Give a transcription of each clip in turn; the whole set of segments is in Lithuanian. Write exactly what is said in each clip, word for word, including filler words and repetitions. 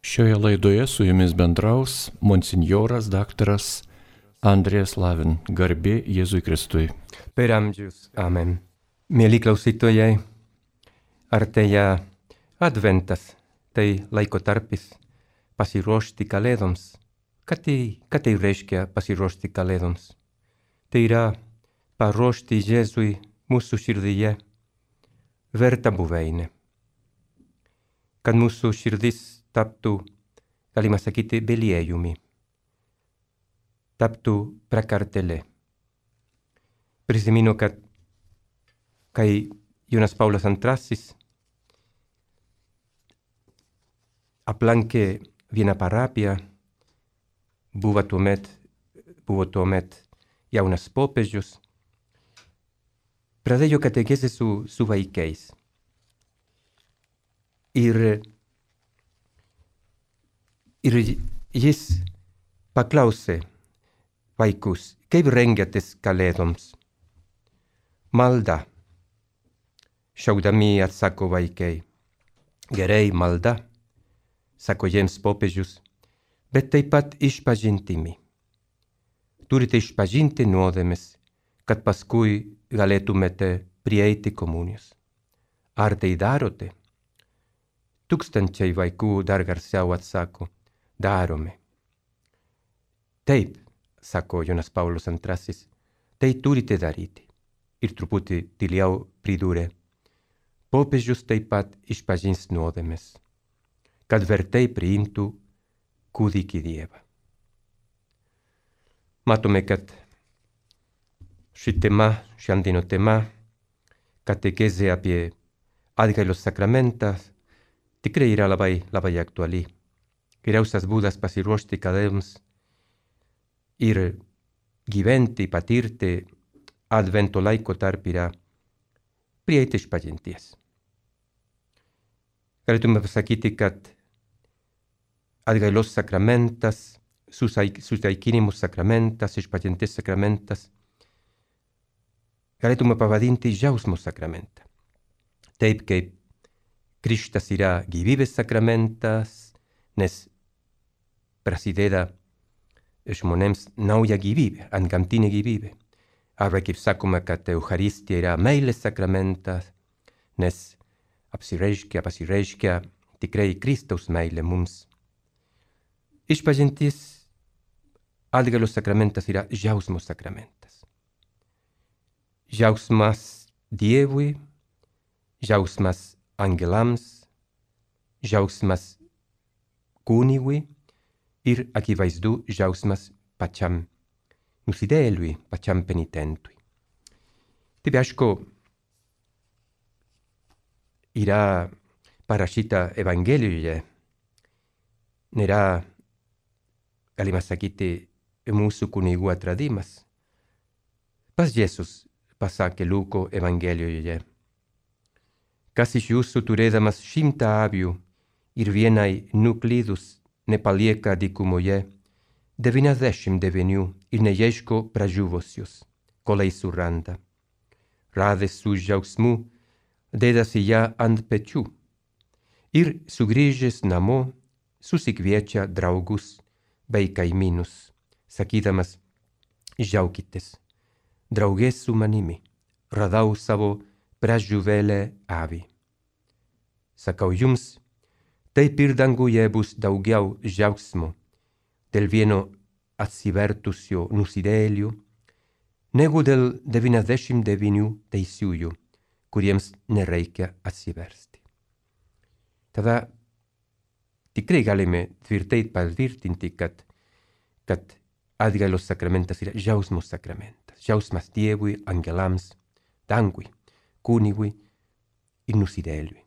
Šioje laidoje su jumis bendraus monsinjoras daktaras Andrijas Lavin, garbė Jėzui Kristui. Per amžius. Amen. Mieli klausytojai, artėja adventas, tai laiko tarpis pasiruošti kalėdoms. Ką tai, ką tai reiškia pasiruošti kalėdoms? Tai yra paruošti Jėzui mūsų širdyje vertą buveinę. Kad mūsų širdis taptų, galima sakyti, beliejumi, taptų prakartėlė. Prisimenu, kad kai Jonas Paulius antrasis aplankė vieną parapiją, buvo tuomet, buvo tuomet jaunas popiežius, pradėjo katekezę su, su vaikais. Ir, ir jis paklausė vaikus, kaip rengiatės kalėdoms? Malda. Šaudami atsako vaikai. Gerai, malda, sako jiems popiežius, bet taip pat išpažintimi. Turite išpažinti nuodėmes, kad paskui galėtumėte prieiti komunijos. Ar tai darote? Tūkstančiai vaikų dar garsiau atsako, darome. Taip, sako Jonas Paulius antrasis, tai turite daryti. Ir truputį tyliau pridūrė, popiežius taip pat išpažins nuodėmes, kad vertai priimtų kūdikį Dievą. Matome, kad ši tema, šiandieno tema, katekezė apie atgailos sakramentą, tikrai yra labai, labai aktuali. Geriausias būdas pasiruošti kalėdoms ir gyventi, patirti advento laiko tarp yra prieiti išpažinties. Galėtume pasakyti, kad atgailos sakramentas, susitaikinimo sakramentas, išpažinties sakramentas, galėtume pavadinti džiaugsmo sakramentą. Taip kaip Krikštas yra gyvybės sakramentas, nes prasideda žmonėms nauja gyvybė, antgamtinė gyvybė. Arba kaip sakoma, kad Eucharistija yra meilės sakramentas, nes apsireiškia, pasireiškia tikrai Kristaus meilė mums. Išpažintis atgailos sakramentas yra džiaugsmo sakramentas. Džiaugsmas Dievui, džiaugsmas angelams, džiaugsmas kunigui ir akivaizdu džiaugsmas pačiam nusidėjėliui, pačiam penitentui. Taip aišku, yra parašyta Evangelijoje, nėra, galima sakyti, mūsų kunigų atradimas. Pats Jėzus pasakė Luko Evangelijoje, kas iš jūsų turėdamas šimtą avių ir vienai nuklydus nepalieka dykumoje, devyniasdešimt devynių ir neieško pražuvusius, kol eis suranda. Radęs su džiaugsmu, dėdasi ją ant pečių ir sugrįžęs namo susikviečia draugus bei kaimynus, sakydamas, džiaukitės, draugės su manimi, radau savo pražuvėlę avį. Sakau jums, taip ir danguje bus daugiau džiaugsmo dėl vieno atsivertusio nusidėjėlių, negu dėl devyniasdešimt devynių teisiųjų, kuriems nereikia atsiversti. Tada tikrai galime tvirtai patvirtinti, kad, kad atgailos sakramentas yra džiaugsmo sakramentas. Džiaugsmas Dievui, angelams, dangui, kunigui ir nusidėjėliui.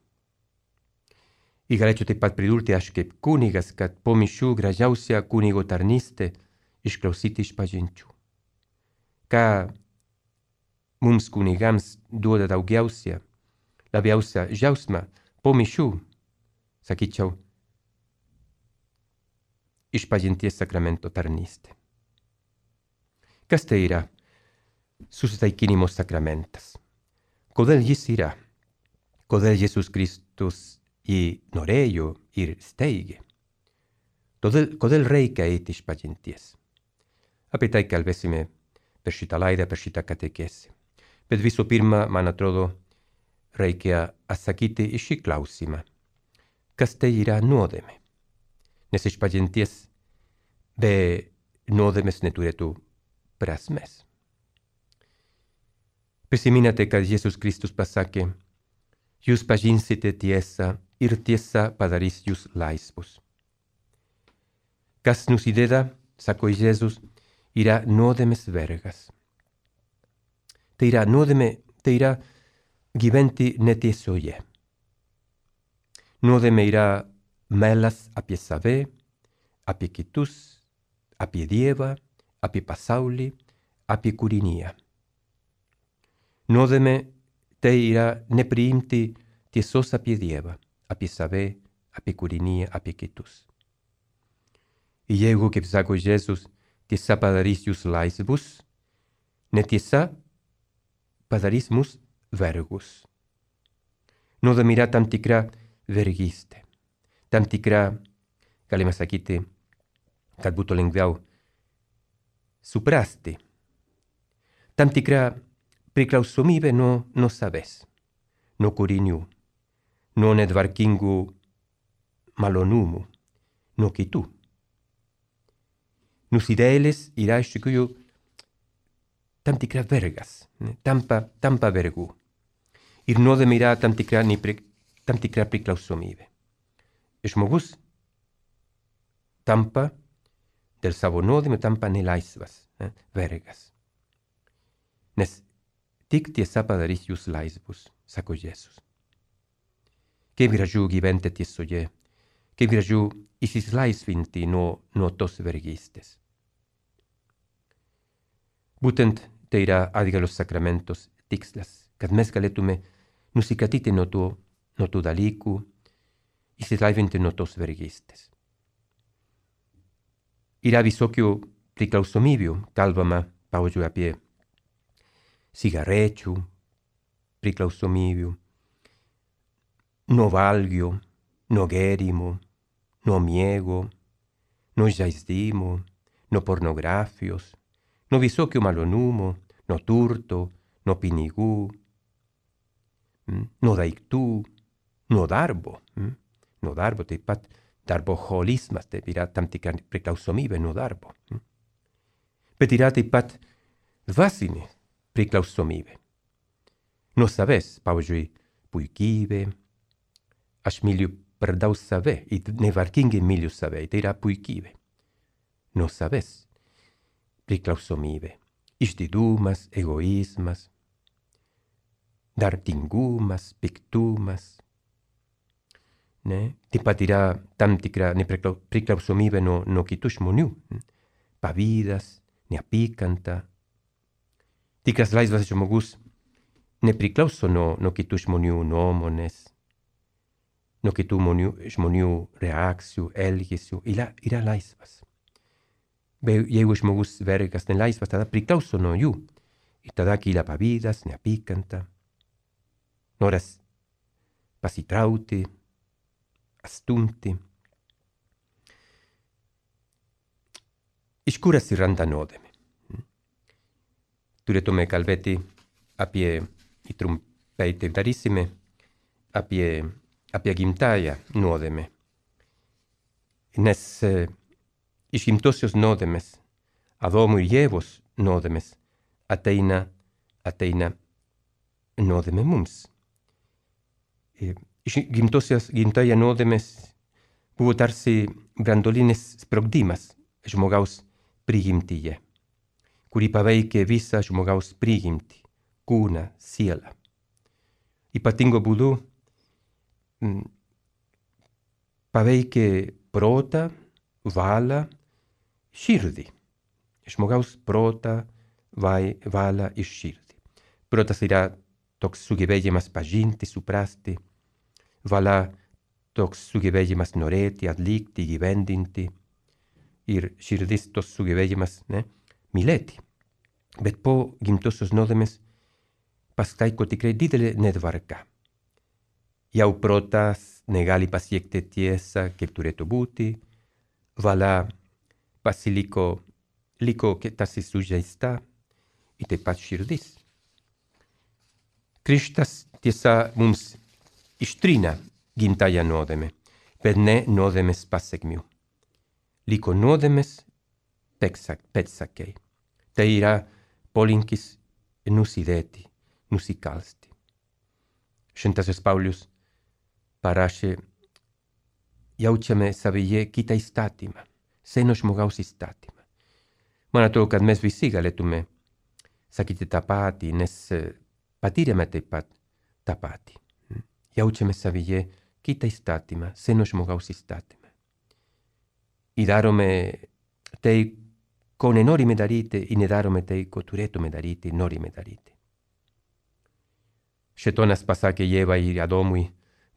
Ir galėčiau taip pat pridurti aš kaip kunigas, kad po mišių gražiausia kunigo tarnystė išklausyti išpažinčių. Ką mums kunigams duoda daugiausia, labiausia džiaugsmą po mišių, sakyčiau, išpažinties sakramento tarnystė. Kas tai yra susitaikinimo sakramentas? Kodėl jis yra? Kodėl Jėzus Kristus jį norėjo ir steigė? Kodėl, kodėl reikia eiti išpažinties? Apie tai kalbėsime per šitą laidą, per šitą katekesę. Bet visų pirma, man atrodo, reikia atsakyti į šį klausimą. Kas tai yra nuodėmė? Nes išpažinties be nuodėmės neturėtų prasmės. Prisiminate, kad Jėzus Kristus pasakė, jūs pažinsite tiesą ir tiesa padarys jūs laisvus. Kas nusideda, sako Jėzus, yra nuodėmės vergas. Tai yra nuodėmė, tai yra gyventi netiesoje. Nuodėmė yra melas apie save, apie kitus, apie Dievą, apie pasaulį, apie kūriniją. Nuodėmė tai yra nepriimti tiesos apie Dievą, apie save, apie kūriniją, apie kitus. Ir jeigu, kaip sako Jėzus, tiesa padarys jūs laisvus, netiesa padarys mus vergus. Nuodėmė yra tam tikra vergystė, tam tikra, galima sakyti, kad būtų lengviau suprasti, tam tikra priklausomybė nuo, nuo savęs, nuo kūrinių, nuo netvarkingų malonumų, nuo kitų. Nusidėjėlis yra iš tikrųjų tam tikra vergas, tampa, tampa vergų. Ir nuodėmė yra tam tikra, tam tikra priklausomybė. Žmogus tampa dėl savo nuodėmė, tampa nelaisvas, ne, vergas. Nes tik tiesa padarys jūs laisvus, sako Jėzus. Kaip gražu gyventi tiesoje, kaip gražu įsilaisvinti nuo, nuo tos vergystės. Būtent tai yra atgalos sakramentos tikslas, kad mes galėtume nusikratyti nuo tų, nuo tų dalykų, įsilaisvinti nuo tos vergystės. Yra visokių priklausomybių, kalbama, pavyzdžiui, apie cigarečių priklausomybių, nuo valgio, nuo gėrimų, nuo miego, nuo žaizdimų, nuo pornografijos, nuo visokių malonumų, nuo turto, nuo pinigų, nuo daiktų, nuo darbo. Nuo darbo taip pat darboholizmas, tai yra tam tikra priklausomybė nuo darbo. Bet yra taip pat dvasinė priklausomybė. Nuo savęs, pavyzdžiui, puikybė, aš myliu per daug save, ir nevarkingai myliu save, tai yra puikybė. Nuo savęs priklausomybė, išdidumas, egoizmas, darbingumas, piktumas. Ne? Taip pat yra tam tikra priklausomybė nuo, nuo kitų žmonių, pavydas, neapykanta. Tikras laisvas žmogus nepriklauso nuo, nuo kitų žmonių nuomonės, nuo kitų žmonių, žmonių reakcijų, elgesių, yra, yra laisvas. Bet jeigu žmogus vergas nelaisvas, tada priklauso nuo jų. Ir tada kyla pavydas, neapykanta, noras pasitraukti, astumti. Iš kur atsiranda nuodėmė? Turėtume kalbėti apie, ir trumpai tai darysime, apie, apie gimtąją nuodėmę. Nes e, iš gimtosios nuodėmės, Adomo ir Ievos nuodėmės, ateina, ateina nuodėmė mums. E, iš gimtosios, gimtąją nuodėmės buvo tarsi branduolinis sprogdimas žmogaus prigimtyje, kuri paveikė visą žmogaus prigimtį, kūną, sielą. Ypatingo būdu m, paveikė protą, valią, širdį. Žmogaus protą, valią ir širdį. Protas yra toks sugebėjimas pažinti, suprasti, valia toks sugebėjimas norėti, atlikti, gyvendinti, ir širdis tos sugebėjimas ne, mylėti. Bet po gimtosios nuodėmės pasitaiko tikrai didelė netvarka. Jau protas negali pasiekti tiesą, kaip turėtų būti, vala pasiliko liko ke tasi sužeista į taip pat širdis. Kristus tiesa mums ištrina gimtąją nuodėmę, bet ne nuodėmės pasekmių. Liko nuodėmės pėdsakai. Tai yra polinkis nusidėti, nusikalsti. Šventasis Paulius parašė, jaučiame savyje kitą įstatymą, seno žmogaus įstatymą. Man atrodo, kad mes visi galėtume sakyti tą patį, nes patyrėme taip pat tą patį. Jaučiame savyje kitą įstatymą, seno žmogaus įstatymą. I darome tai, ko nenorime daryti, i nedarome tai, ko turėtume daryti, norime daryti. Šėtonas pasakė Ievai ir Adomui,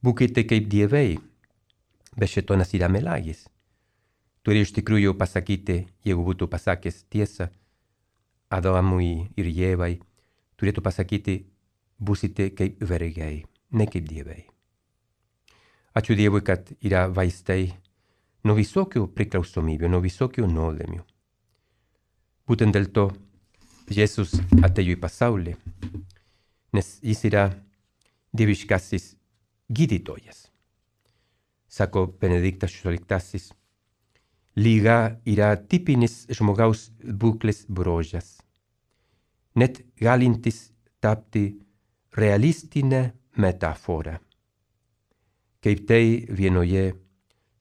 būkite kaip dievai, bet šėtonas yra melagis. Turi iš tikrųjų pasakyti, jeigu būtų pasakęs tiesą Adomui ir Ievai, turėtų pasakyti, būsite kaip vergai, ne kaip dievai. Ačiū Dievui, kad yra vaistai nuo visokių priklausomybių, nuo visokių nuodėmių. Būtent dėl to Jėzus atėjo į pasaulį, nes jis yra dieviškasis gydytojas. Sako Benediktas šešioliktasis, lyga yra tipinis žmogaus būklės bruožas, net galintis tapti realistinę metaforą. Kaip tai vienoje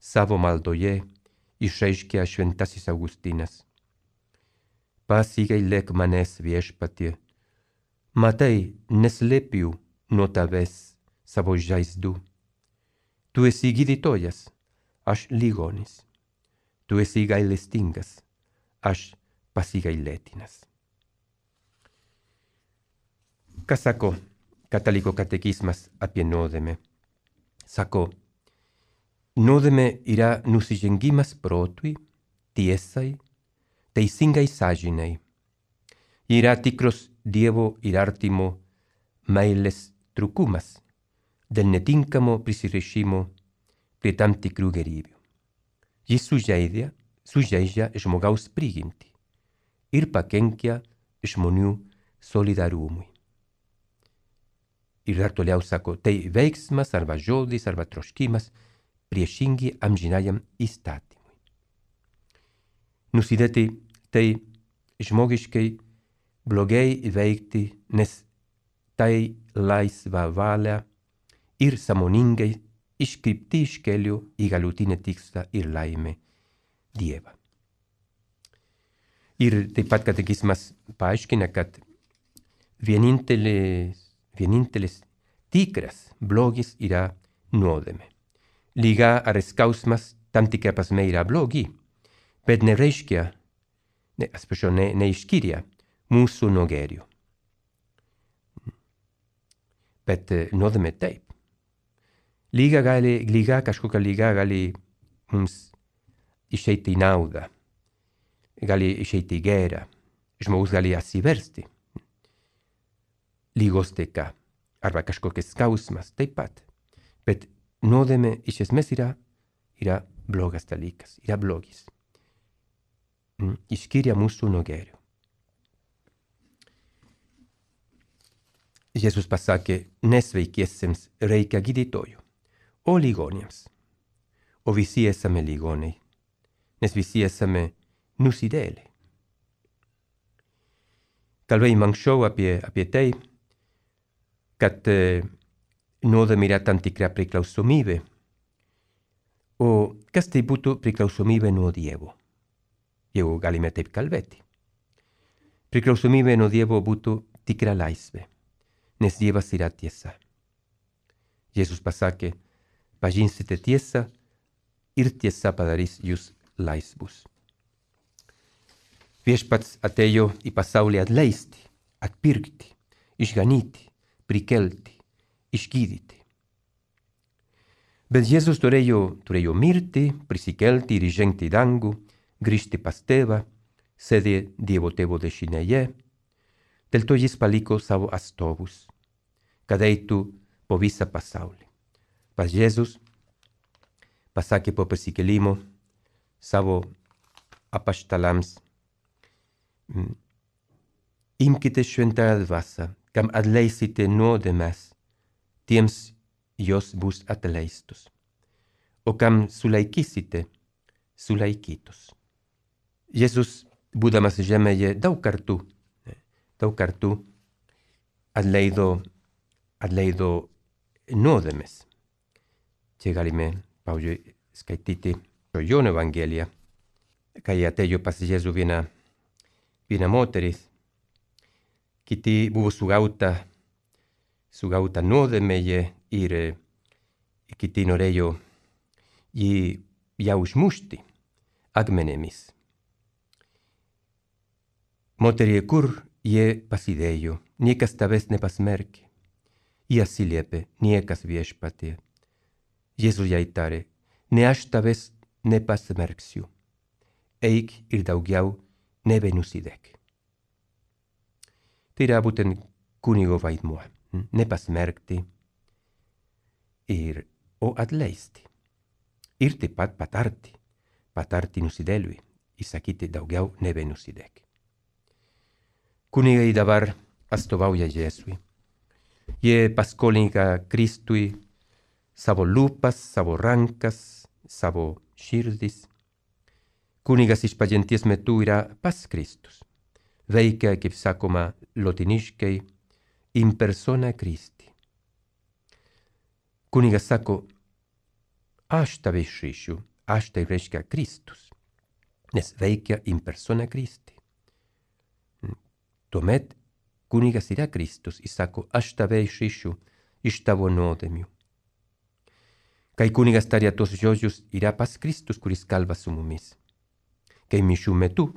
savo maldoje išreiškia šventasis Augustinas. Pasigailėk manęs viešpatie, matai, neslėpiu nuo tavęs savo žaizdų. Tu esi gydytojas, aš ligonis. Tu esi gailestingas, aš pasigailėtinas. Ką sako kataliko katekizmas apie nuodėmę? Sako, nuodėmė yra nusižengimas protui, tiesai, teisingai sąžinei. Yra tikros Dievo ir artimo meilės trūkumas dėl netinkamo prisirišimo prie tam tikrų gėrybių. Jis sužeidžia, sužeidžia žmogaus prigimtį ir pakenkia žmonių solidarumui. Ir dar toliau sako, tai veiksmas arba žodis arba troškimas priešingi amžinajam įstatymui. Nusidėti tai žmogiškai blogai veikti, nes tai laisva valia ir sąmoningai iškrypti iš kelio į galutinį tikslą ir laimę Dievą. Ir taip pat katekizmas paaiškina, kad vienintelis, vienintelis tikras blogis yra nuodėmė. Liga ar skausmas tam tikra prasme yra blogi, bet nereiškia, ne, atsiprašau, ne, neišskiria mūsų nuo gėrio. Bet nuodėmė taip. Lyga, gali, lyga, kažkokia lyga gali mums išeiti į naudą, gali išeiti į gerą, žmogus gali atsiversti. Lygos dėka, arba kažkokias skausmas taip pat. Bet nuodėmė iš esmės yra, yra blogas dalykas, yra blogis. Išskiria mūsų nuo gėrio. Jėzus pasakė, nesveikiesiems reikia gydytojų, o ligonėms. O visi esame ligoniai, nes visi esame nusidėliai. Kalbėjom anksčiau apie, apie tai, kad e, nuodėmė yra tam tikra priklausomybė. O kas tai būtų priklausomybė nuo Dievo? Jeigu galime taip kalbėti. Priklausomybė nuo Dievo būtų tikra laisvė, nes Dievas yra tiesa. Jėzus pasakė, pažinsite tiesą ir tiesa padarys jūs laisvus. Viešpats atėjo į pasaulį atleisti, atpirkti, išganyti, prikelti, išgydyti. Bet Jėzus turėjo, turėjo mirti, prisikelti ir įžengti į dangų, grįžti pas tėvą, sėdė Dievo tėvo dešinėje. Dėl to jis paliko savo atstovus, kad eitų po visą pasaulį. Pas Jėzus pasakė po prisikėlimo, savo apaštalams, imkite šventąją dvasią, kam atleisite nuodėmes, tiems jos bus atleistos, o kam sulaikysite, sulaikytos. Jėzus, būdamas žemėje, daug kartų, daug kartų atleido, atleido nuodėmes. Čia galime, pavyzdžiui, skaityti Jono Evangeliją, kai atėjo pas Jėzų viena, viena moteris, kiti buvo sugauta, sugauta nuodėmėje ir kiti norėjo jį ją užmušti akmenėmis. Moterie, kur jie pasidėjo, niekas tavęs nepasmerkė. Jie atsiliepė, niekas viešpatie. Jėzus jai tarė, ne aš tavęs nepasmerksiu. Eik ir daugiau nebenusidėk. Tai yra būtent kunigo vaidmuo, nepasmerkti ir o atleisti. Ir taip pat patarti, patarti nusidėliui, įsakyti daugiau nebenusidėk. Kunigai dabar atstovauja Jėzui. Jie paskolinga Kristui savo lūpas, savo rankas, savo širdis. Kunigas išpažinties metu yra pas Kristus. Veikia, kaip sakoma lotiniškai, in persona Christi. Kunigas sako, aš tave išrišiu, aš tai reiškia Kristus, nes veikia in persona Christi. Tuomet kunigas yra Kristus, jis sako, aš tave išrišiu iš tavo nuodėmių. Kai kunigas taria tos žodžius, yra pas Kristus, kuris kalba su mumis. Kai mišių metu,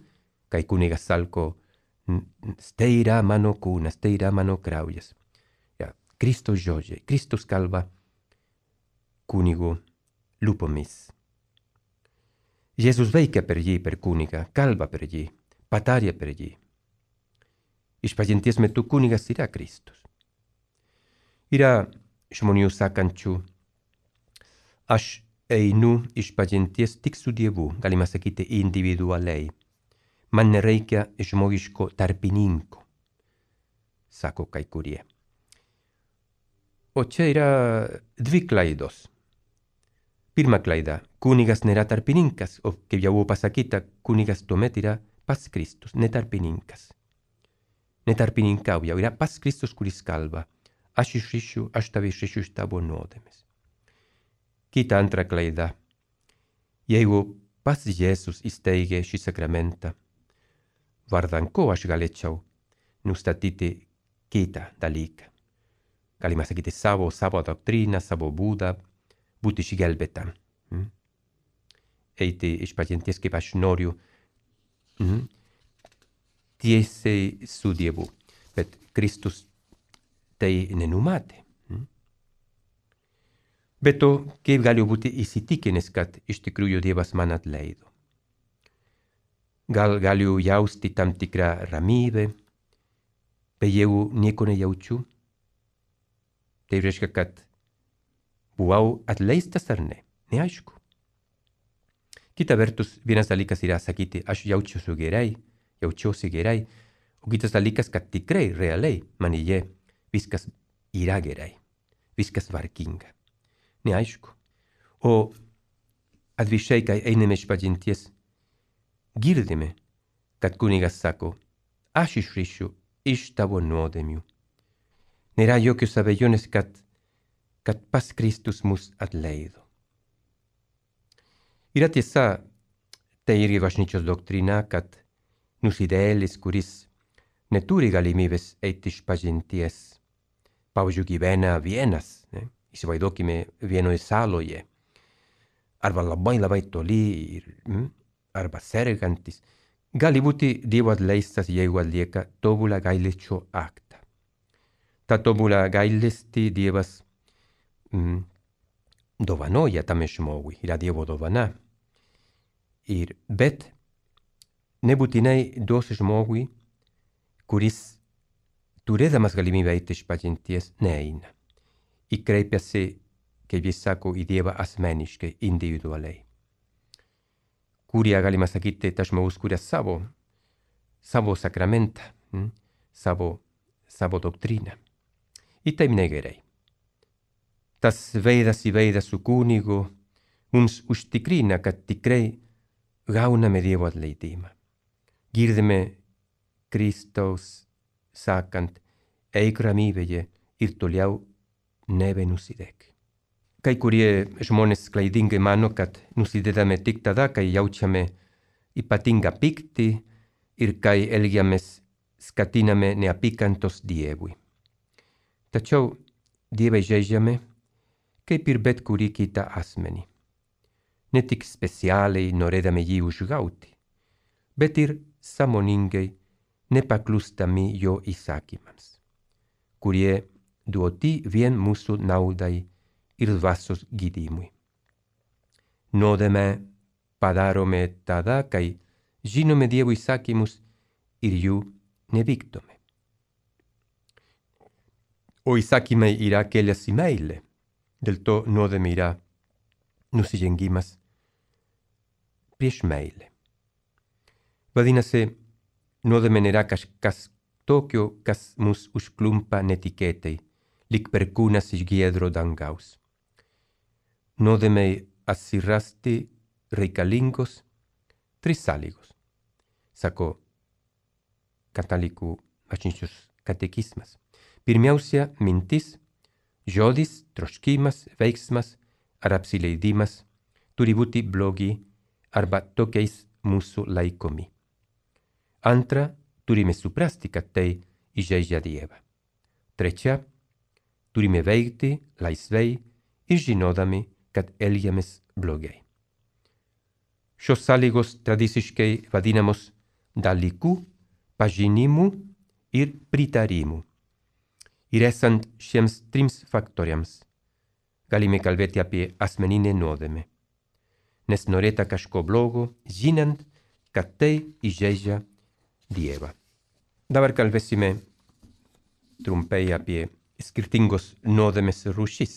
kai kunigas sako, tai yra mano kūnas, tai yra mano kraujas. Ja, Kristus žodžiai, Kristus kalba kunigo lūpomis. Jėzus veikia per jį, per kunigą, kalba per jį, pataria per jį. Išpažinties metu kunigas yra Kristus. Yra žmonių sakančių, aš einu išpažinties tik su Dievu, galima sakyti individualiai. Man nereikia žmogiško tarpininko, sako kai kurie. O čia yra dvi klaidos. Pirma klaida, kunigas nėra tarpininkas, o kaip jau buvo pasakyta, kunigas tuomet yra pas Kristus, ne tarpininkas. Netarpininkauja, yra pas Kristus, kuris kalba. Aš išrišiu, aš tave išrišiu iš tavo nuodėmės. Kita antra klaida. Jeigu pas Jėzus įsteigė šį sakramentą, vardan ko aš galėčiau nustatyti kitą dalyką. Galima sakyti savo, savo doktriną, savo būdą, būti išgelbėtam. Mm? Eiti išpažinties, kaip aš noriu. Mm? Tiesiai su Dievu, bet Kristus tai nenumatė. Bet to, kaip galiu būti įsitikinęs, kad iš tikrųjų Dievas man atleido. Gal galiu jausti tam tikrą ramybę, bet jeigu nieko nejaučiu, tai reiškia, kad buvau atleistas ar ne, neaišku. Kita vertus, vienas dalykas yra sakyti, aš jaučiuosi gerai, jaučiuosi gerai, o kitas dalykas, kad tikrai, realiai, manyje viskas yra gerai, viskas tvarkinga. Neaišku. O atvirkščiai, kai einame išpažinties, girdime, kad kunigas sako, aš išrišiu iš tavo nuodėmių. Nėra jokios abejonės, kad, kad pas Kristus mus atleido. Yra tiesa, tai irgi bažnyčios doktrina, kad nusidėlis, kuris neturi galimybės eiti išpažinties, pavyzdžiui, gyvena vienas, ne? Įsivaizduokime vienoje saloje, arba labai labai toli, ir, mm, arba sergantis, gali būti Dievo atleistas, jeigu atlieka tobulą gailesčio aktą. Ta tobulą gailestį Dievas mm, dovanoja tam žmogui, yra Dievo dovana. Ir, bet nebūtinai duos žmogui, kuris turėdamas galimybę eiti išpažinties, neeina. I kreipiasi, kaip jis sako, į Dievą asmeniškai, individualiai. kuria galima sakyti tas žmogus, kuria savo, savo sakramentą, mm? savo, savo doktriną. Ir taip negerai. Tas veidas į veidą su kunigu mums užtikrina, kad tikrai gauname Dievo atleidimą. Girdime Kristaus sakant, eik ramybėje ir toliau nebenusidėk. Kai kurie žmonės klaidingai mano, kad nusidedame tik tada, kai jaučiame ypatingą pyktį ir kai elgiamės skatiname neapykantos Dievui. Tačiau Dievą žeidžiame kaip ir bet kurį kitą asmenį. Ne tik specialiai norėdami jį užgauti, bet ir sąmoningai nepaklustami jo įsakymams, kurie duoti vien mūsų naudai ir dvasios gydymui. Nuodėmę padarome tada, kai žinome Dievo įsakymus ir jų nevykdome. O įsakymai yra kelias į meilę, dėl to nuodėmė yra nusižengimas prieš meilę. Vadinasi, nuodėmė nėra kažkas tokio, kas mus užklumpa netikėtai, lyg perkūnas iš giedro dangaus. Nuodėmei atsirasti reikalingos trys sąlygos, sako katalikų bažnyčios katekizmas. Pirmiausia, mintis, žodis, troškimas, veiksmas ar apsileidimas turi būti blogi arba tokiais mūsų laikomi. Antra, turime suprasti, kad tai įžeidžia Dievą. Trečia, turime veikti laisvai ir žinodami, kad elgiamės blogai. Šios sąlygos tradiciškai vadinamos dalykų, pažinimu ir pritarimu. Ir esant šiems trims faktoriams, galime kalbėti apie asmeninę nuodėmę, nes norėta kažko blogo, žinant, kad tai įžeidžia Dievą. Dabar kalbėsime trumpai apie skirtingos nuodėmės rūšis,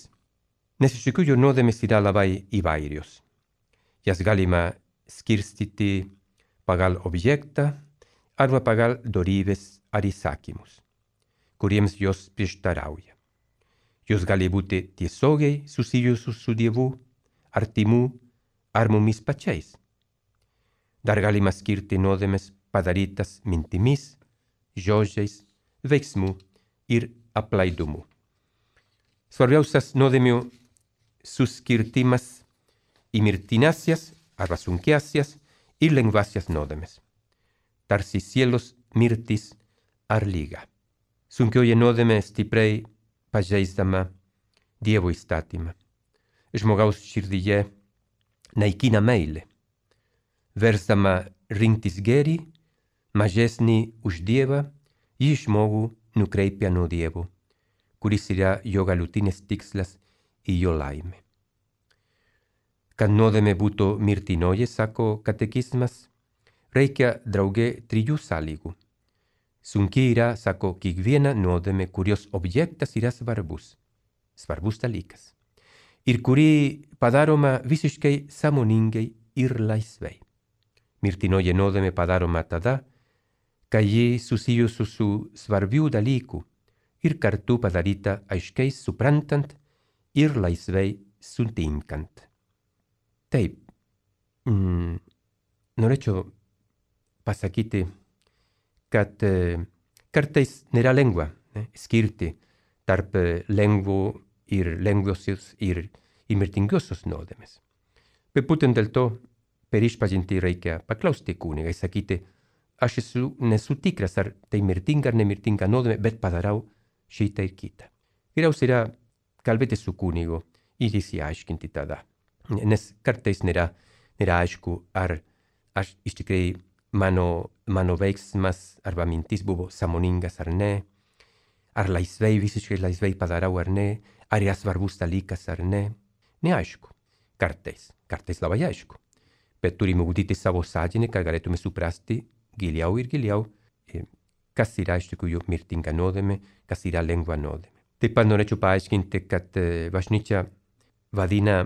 nes iš tikrųjų nuodėmės yra labai įvairios. Jas galima skirstyti pagal objektą arba pagal dorybės ar įsakymus, kuriems jos prieštarauja. Jos gali būti tiesiogiai susijusios su Dievu, artimu ar mumis pačiais. Dar galima skirti nuodėmės padarytas mintimis, žodžiais, veiksmu ir aplaidumu. Svarbiausias nuodėmių suskirtimas į mirtinasias arba sunkiasias ir lengvasias nuodėmes, tarsi sielos mirtis ar lyga. Sunkioji nuodėmė stipriai pažeisdama Dievo įstatymą. Žmogaus širdyje naikina meilę, versdama rinktis gėrį, mažesnį už Dievą, jį žmogų nukreipia nuo Dievo, kuris yra jo galutinis tikslas ir jo laimė. Kad nuodėmė būtų mirtinoji, sako katekizmas, reikia drauge trijų sąlygų. Sunki yra, sako, kiekviena nuodėmė, kurios objektas yra svarbus, svarbus dalykas, ir kuri padaroma visiškai sąmoningai ir laisvai. Mirtinoji nuodėmė padaroma tada, kai ji susijusi su svarbių dalykų ir kartu padaryta aiškiai suprantant ir laisvai sutinkant. Taip, mm, norėčiau pasakyti, kad e, kartais nėra lengva ne, skirti tarp lengvų ir lengvosios ir, ir mirtingosios nuodėmės. Bet būtent dėl to per išpažintį reikia paklausti kunigą, sakyti, aš esu, nesu tikras, ar tai mirtinga ar nemirtinga nuodėmė, bet padarau šitą ir kitą. Geriausia yra kalbėti su kunigu ir išsiaiškinti tada. Nes kartais nėra, nėra aišku, ar aš iš tikrųjų mano, mano veiksmas arba mintis buvo sąmoningas ar ne, ar laisvai, visiškai laisvai padarau ar ne, ar yra svarbus dalykas ar ne. Neaišku. Kartais, kartais labai aišku. Bet turime ugdyti savo sąžinę, kad galėtume suprasti giliau ir giliau, kas yra iš tikrųjų mirtinga nuodėmė, kas yra lengva nuodėmė. Taip pat norėčiau paaiškinti, kad bažnyčia vadina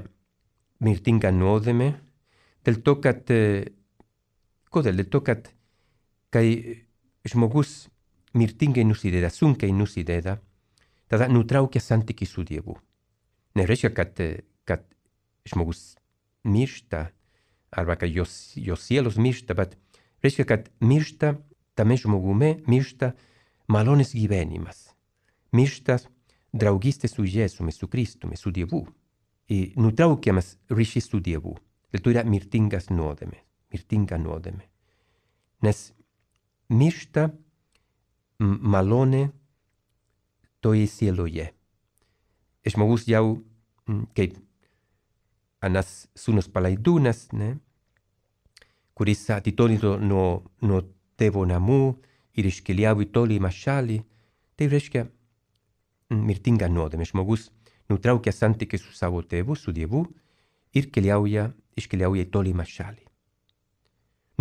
mirtinga nuodėmė, dėl to, kad Kodėl dėl to, kad kai žmogus mirtingai nusideda, sunkiai nusideda, tada nutraukia santykį su Dievu. Nereiškia, kad, kad žmogus miršta, arba kad jos, jos sielos miršta, bet reiškia, kad miršta tame žmogume, miršta malonės gyvenimas. Miršta draugystė su Jėzumi, su Kristumi, su Dievu. Ir nutraukiamas ryšys su Dievu. Dėl to yra mirtingas nuodėmė, mirtinga nuodėmė. Nes miršta malonė toje sieloje. Žmogus jau, kaip anas sūnus palaidūnas, ne, kuris atitolino nuo, nuo tėvo namų ir iškeliavo į tolimą šalį, tai reiškia mirtinga nuodėmė. Žmogus nutraukia santykį su savo tėvu, su Dievu ir keliauja, iškeliauja į tolimą šalį.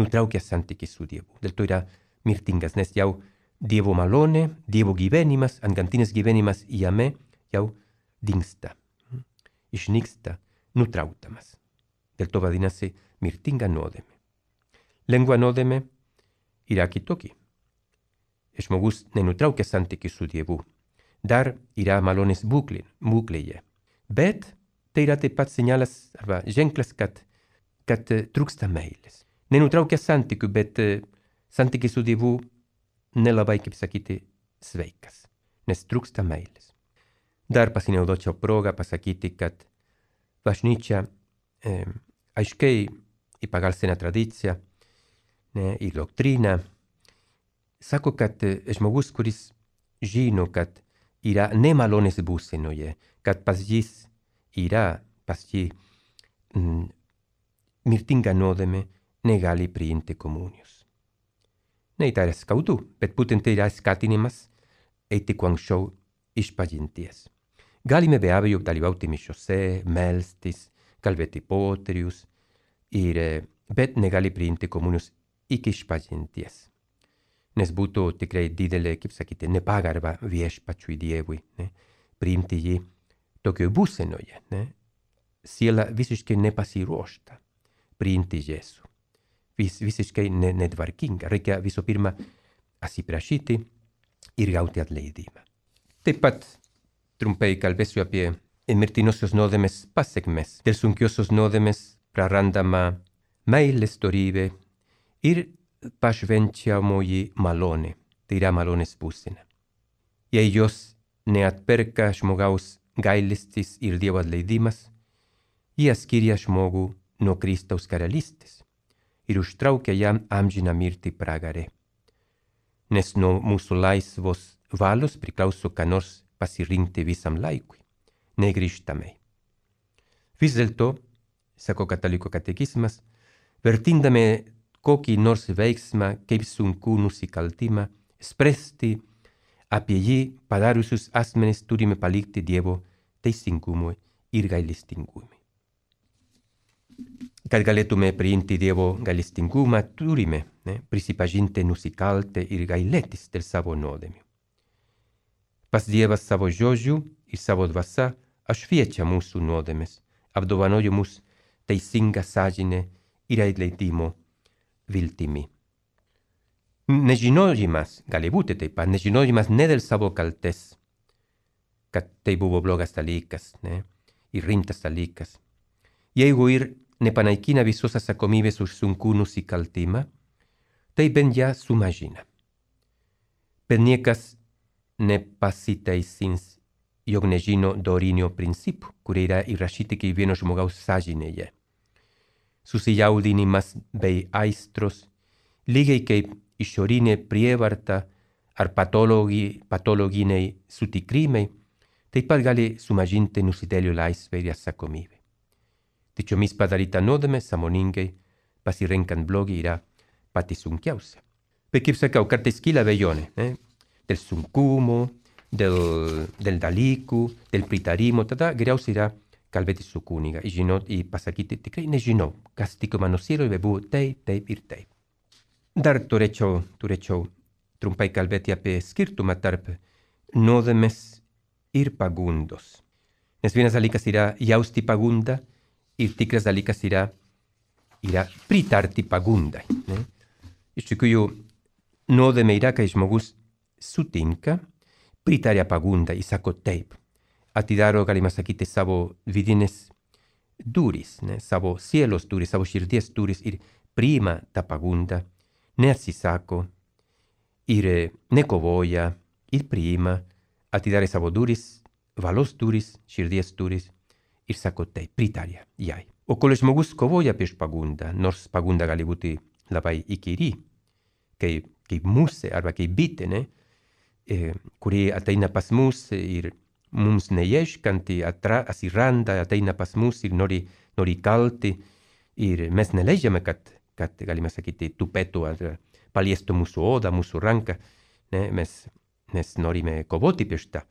Nutraukia santykį su Dievu. Dėl to yra mirtingas, nes jau Dievo malonė, Dievo gyvenimas, antgamtinis gyvenimas jame jau dingsta, išnyksta, nutrauktamas. Dėl to vadinasi mirtinga nuodėmė. Lengva nuodėmė yra kitokia. Žmogus nenutraukia santykį su Dievu. Dar yra malonės būklė, būklėje. Bet tai yra taip pat signalas arba ženklas, kad, kad trūksta meilės. Nenutraukia santykių, bet santykis su Dievu nelabai, kaip sakyti, sveikas, nes trūksta meilės. Dar pasinaudočiau progą pasakyti, kad bažnyčia e, aiškiai į pagal seną tradiciją ne, ir doktriną sako, kad žmogus, kuris žino, kad yra nemalonės būsenoje, kad pas jis yra, pas jį mm, mirtinga nuodėmė, negali priimti komunijos. Ne tai yra skaudu, bet būtent tai yra skatinimas eiti kuo anksčiau išpažinties. Galime be abejo dalyvauti mišiose, melstis, kalbėti poterius, ir, bet negali priimti komunijos iki išpažinties. Nes būtų tikrai didelė, kaip sakyti, nepagarba viešpačiui Dievui, ne? Priimti jį tokioje būsenoje, ne? Siela visiškai nepasiruošta priimti Jėzų. Vis, visiškai ne, netvarkinga. Reikia visų pirma atsiprašyti ir gauti atleidimą. Taip pat trumpai kalbėsiu apie mirtinosios nuodėmės pasekmes. Dėl sunkiosios nuodėmės prarandama meilės dorybė ir pašvenčiamoji malonė, tai yra malonės būsena. Jei jos neatperka žmogaus gailestis ir Dievo atleidimas, jie skiria žmogų nuo Kristaus karalystės ir užtraukia jam amžiną mirtį pragare. Nes nuo mūsų laisvos valios priklauso ką nors pasirinkti visam laikui, negrįžtamai. Vis dėlto, sako katalikų katekizmas, vertindami kokį nors veiksmą kaip sunkų nusikaltimą, spręsti apie jį padariusius asmenis turime palikti Dievo teisingumui ir gailestingumui. Kad galėtume priimti Dievo gailestingumą, turime ne, prisipažinti nusikaltę ir gailėtis dėl savo nuodėmių. Pas Dievas savo žodžiu ir savo dvasia apšviečia mūsų nuodėmes, apdovanoja mus teisinga sąžinė ir atleidimo viltimi. Nežinojimas, gali būti taip pat, nežinojimas ne dėl savo kaltės, kad tai buvo blogas dalykas, ne, ir rimtas dalykas. Jeigu ir nepanaikina visos atsakomybės už sunkų nusikaltimą, tai bent ją sumažina. Bet niekas nepasiteisins, jog nežino dorinio principų, kurie yra įrašyti kiekvieno žmogaus sąžinėje. Susijaudinimas bei aistros, lygiai kaip išorinė prievarta ar patologi, patologiniai sutikrimai, taip pat gali sumažinti nusidėlių laisvę ir atsakomybę. Tačiomis padaryta nuodėmė sąmoningai pasirenkant blogį yra pati sunkiausia. Bet kaip sakau, kartais kyla abejonė, ne? Dėl sunkumo, dėl, dėl dalykų, dėl pritarimo, tada geriausia yra kalbėti su kuniga ir žinot, ir pasakyti, tikrai nežinau, kas tiko mano sieloje buvo taip, taip ir taip. Dar turėčiau, turėčiau trumpai kalbėti apie skirtumą tarp nuodėmės ir pagundos. Nes vienas dalykas yra jausti pagundą ir tikras dalykas yra, yra pritarti pagundai. Ne? Iš tikrųjų, nuodėmė yra, kai žmogus sutinka pritaria pagunda ir sako taip. Atidaro, galima sakyti, savo vidinės duris, ne? Savo sielos duris, savo širdies duris ir priima tą pagundą, neatsisako ir nekovoja ir priima, atidara savo duris, valos duris, širdies duris ir sako taip, pritaria jai. O kol žmogus kovoja prieš pagundą, nors pagunda gali būti labai įkyri, kaip, kaip musė arba kaip bitė, ne? E, kuri ateina pas mus ir mums neieškanti, atsiranda, ateina pas mus ir nori, nori kalti ir mes neleidžiame, kad, kad galime sakyti, tupėtų ar paliestų mūsų odą, mūsų ranką, ne? Mes, mes norime kovoti prieš tą.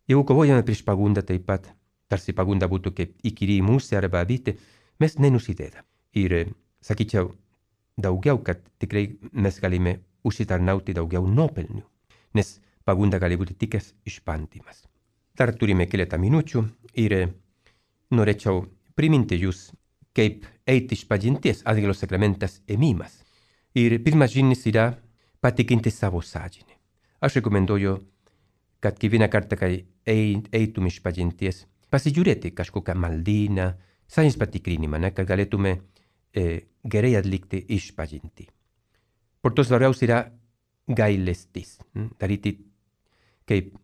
Jeigu kovojame prieš pagundą taip pat, tarsi pagunda būtų kaip įkyri musė arba bitė, mes nenusideda. Ir sakyčiau daugiau, kad tikrai mes galime užsitarnauti daugiau nuopelnių, nes pagunda gali būti tik išbandymas. Dar turime keletą minučių ir norėčiau priminti jūs, kaip eiti išpažinties atgailos sakramentas ėmimas. Ir pirmas žingsnis yra patikinti savo sąžinę. Aš rekomenduoju, kad kiekvieną kartą, kai eitum išpažinties, pasižiūrėti kažkokią maldyną, sąžinės patikrinimą, ne, kad galėtume e, gerai atlikti išpažintį. Por to svarbiausia yra gailestis, hm? daryti kaip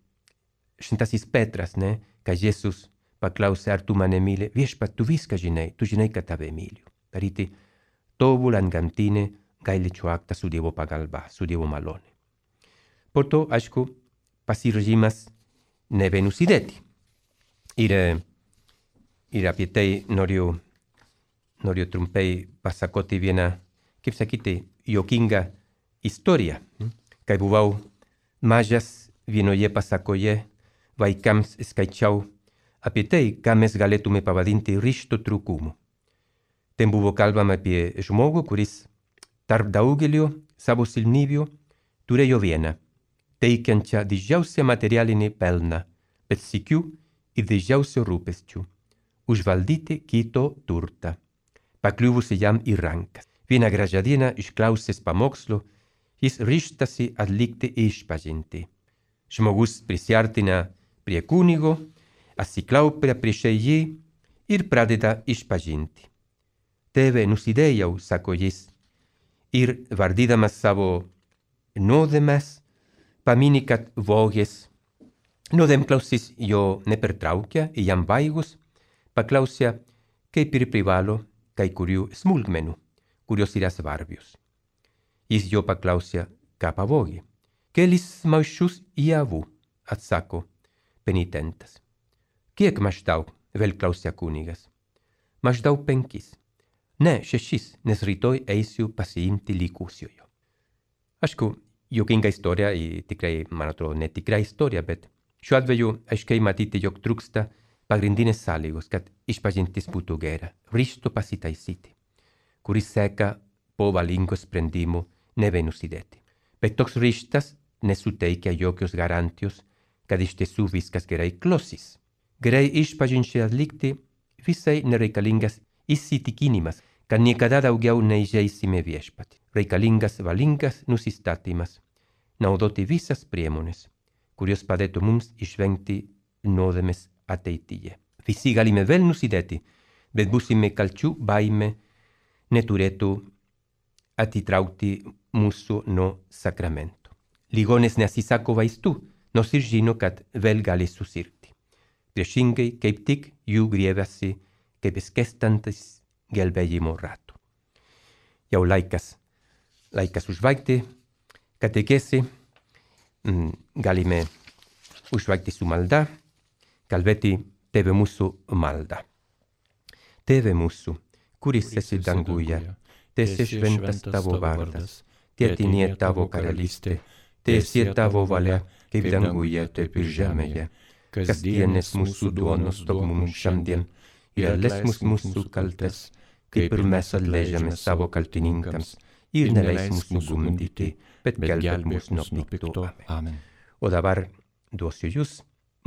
šventasis Petras, ne, kai Jėzus paklausė, ar tu mane myli, viešpat, tu viską žinai, tu žinai, kad tave myliu. Daryti tobulą antgamtinę gailesčio aktą su Dievo pagalba, su Dievo malone. Po to, aišku, pasiryžimas nebenusidėti. Ir, ir apie tai noriu, noriu trumpai pasakoti vieną, kaip sakyti, juokingą istoriją. Kai buvau mažas, vienoje pasakoje vaikams skaičiau apie tai, ką mes galėtume pavadinti ryžto trūkumu. Ten buvo kalbama apie žmogų, kuris tarp daugelio savo silpnybių turėjo vieną, teikiančią didžiausią materialinį pelną, bet sykiu ir didžiausių rūpesčių – užvaldyti kito turtą, pakliuvusi jam į rankas. Vieną gražią dieną išklausęs pamokslo, jis ryžtasi atlikti išpažintį. Žmogus prisiartina prie kunigo, atsiklaupia prieš jį ir pradeda išpažinti. Tėve, nusidėjau, sako jis, ir vardydamas savo nuodėmes, pamini, kad vogęs. Nuodėmklausis jo nepertraukia ir jam baigus paklausia, kaip ir privalo kai kurių smulkmenų, kurios yra svarbios. Jis jo paklausia, ką pavogė. Kelis maišus javų, atsako penitentas. Kiek maždaug, vėl klausia kunigas. Maždaug penkis. Ne, šešis, nes rytoj eisiu pasiimti likusiojo. Aišku, juokinga istorija ir tikrai, man atrodo, netikra istorija, bet šiuo atveju aiškiai matyti, jog trūksta pagrindinės sąlygos, kad išpažintis būtų gera, ryžto pasitaisyti, kuris seka po valingo sprendimų nebenusidėti. Bet toks ryžtas nesuteikia jokios garantijos, kad iš tiesų viskas gerai klosis. Gerai išpažinčiai atlikti visai nereikalingas įsitikinimas, kad niekada daugiau neįžeisime viešpatį. Reikalingas valingas nusistatymas, naudoti visas priemonės, kurios padėtų mums išvengti nuodėmės ateityje. Visi galime vėl nusidėti, bet būsime kalčių baime neturėtų atitraukti mūsų nuo sakramento. Ligonis neatsisako vaistų, nors ir žino, kad vėl gali susirgti. Priešingai, kaip tik jų griebiasi kaip skęstantis gelbėjimo ratų. Jau laikas, laikas užbaigti katekesi, galime užbaigti su malda, kalbėti Tėve mūsų malda. Tėve mūsų, kuris esi danguje, teesie šventas tavo vardas, teateinie tavo karalystė, teesie tavo valia, kaip danguje, taip ir žemėje. Kasdienės mūsų duonos duok mums šiandien ir atleisk mūsų kaltes, kaip ir mes atleidžiame savo kaltininkams, ir neleisk mūsų gundyti, bet gelbėk mus nuo pikto. Amen. O dabar duosiu jūs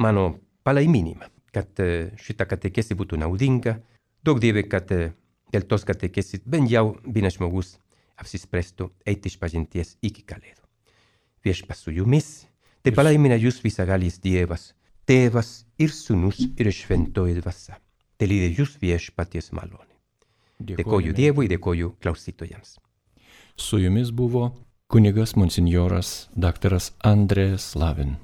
mano palaiminimą, kad šita katekesi būtų naudinga. Daug Dieve, kad dėl tos katekesis bent jau vienas žmogus apsispręstų eiti išpažinties iki Kalėdų. Viešpats su jumis, te palaimina jūs visagalis Dievas, Tėvas ir Sūnus ir Šventoji Dvasia. Te lydi jūs viešpaties malonė. Dėkoju Dievui, dėkoju klausytojams. Su jumis buvo kunigas monsinjoras daktaras Andrės Lavin.